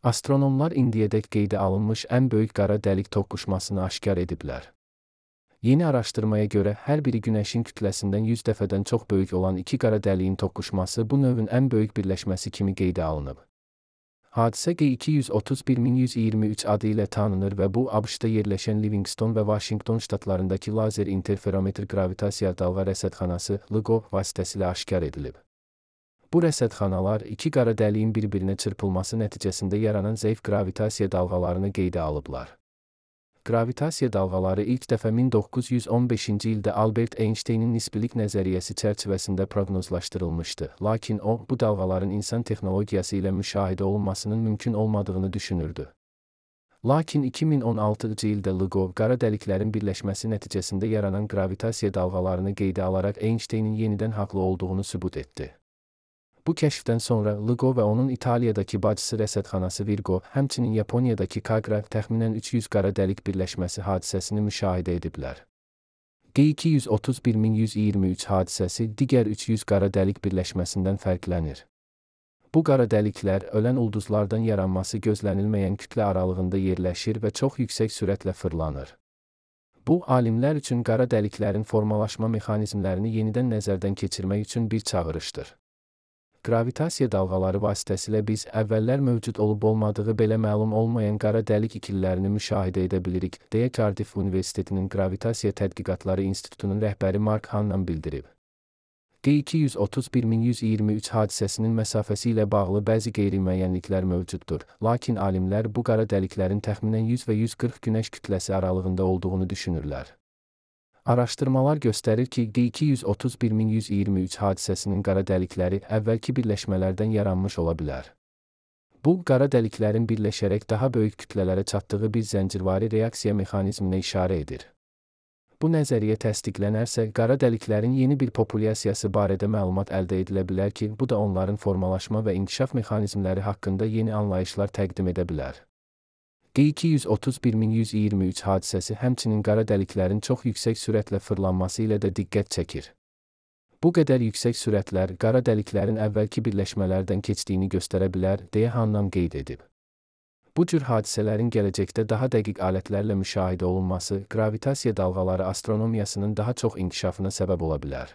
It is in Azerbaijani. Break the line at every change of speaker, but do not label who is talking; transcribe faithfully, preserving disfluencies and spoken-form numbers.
Astronomlar indiyədək qeydə alınmış ən böyük qara dəlik toqquşmasını aşkar ediblər. Yeni araşdırmaya görə hər biri Günəşin kütləsindən yüz dəfədən çox böyük olan iki qara dəliyin toqquşması bu növün ən böyük birləşməsi kimi qeydə alınıb. Hadisə G iki yüz otuz bir min yüz iyirmi üç adı ilə tanınır və bu ABŞ-da yerləşən Livingston və Vaşinqton ştatlarındakı lazer interferometr qravitasiya dalğa rəsədxanası L I G O vasitəsilə aşkar edilib. Bu rəsədxanalar iki qara dəliyin bir-birinə çırpılması nəticəsində yaranan zəif qravitasiya dalğalarını qeydə alıblar. Qravitasiya dalğaları ilk dəfə min doqquz yüz on beşinci ildə Albert Einsteynin nisbilik nəzəriyyəsi çərçivəsində proqnozlaşdırılmışdı, lakin o, bu dalğaların insan texnologiyası ilə müşahidə olunmasının mümkün olmadığını düşünürdü. Lakin iki min on altıncı ildə L I G O, qara dəliklərin birləşməsi nəticəsində yaranan qravitasiya dalğalarını qeydə alaraq Einsteynin yenidən haqlı olduğunu sübut etdi. Bu kəşfdən sonra L I G O və onun İtaliyadakı bacısı rəsədxanası Virgo, həmçinin Yaponiyadakı Kagra təxminən üç yüz qara dəlik birləşməsi hadisəsini müşahidə ediblər. G iki yüz otuz bir min yüz iyirmi üç hadisəsi digər üç yüz qara dəlik birləşməsindən fərqlənir. Bu qara dəliklər ölən ulduzlardan yaranması gözlənilməyən kütlə aralığında yerləşir və çox yüksək sürətlə fırlanır. Bu, alimlər üçün qara dəliklərin formalaşma mexanizmlərini yenidən nəzərdən keçirmək üçün bir çağırışdır. Qravitasiya dalğaları vasitəsilə biz əvvəllər mövcud olub-olmadığı belə məlum olmayan qara dəlik ikililərini müşahidə edə bilirik, deyə Cardiff Universitetinin Qravitasiya Tədqiqatları İnstitutunun rəhbəri Mark Hannan bildirib. G iki yüz otuz bir min yüz iyirmi üç hadisəsinin məsafəsi ilə bağlı bəzi qeyri-müəyyənliklər mövcuddur, lakin alimlər bu qara dəliklərin təxminən yüz və yüz qırx günəş kütləsi aralığında olduğunu düşünürlər. Araşdırmalar göstərir ki, G iki yüz otuz bir min yüz iyirmi üç hadisəsinin qara dəlikləri əvvəlki birləşmələrdən yaranmış ola bilər. Bu, qara dəliklərin birləşərək daha böyük kütlələrə çatdığı bir zəncirvari reaksiya mexanizminə işarə edir. Bu nəzəriyyə təsdiqlənərsə, qara dəliklərin yeni bir populyasiyası barədə məlumat əldə edilə bilər ki, bu da onların formalaşma və inkişaf mexanizmləri haqqında yeni anlayışlar təqdim edə bilər. G iki yüz otuz bir min yüz iyirmi üç hadisəsi həmçinin qara dəliklərin çox yüksək sürətlə fırlanması ilə də diqqət çəkir. Bu qədər yüksək sürətlər qara dəliklərin əvvəlki birləşmələrdən keçdiyini göstərə bilər, deyə Hannan qeyd edib. Bu cür hadisələrin gələcəkdə daha dəqiq alətlərlə müşahidə olunması, qravitasiya dalğaları astronomiyasının daha çox inkişafına səbəb ola bilər.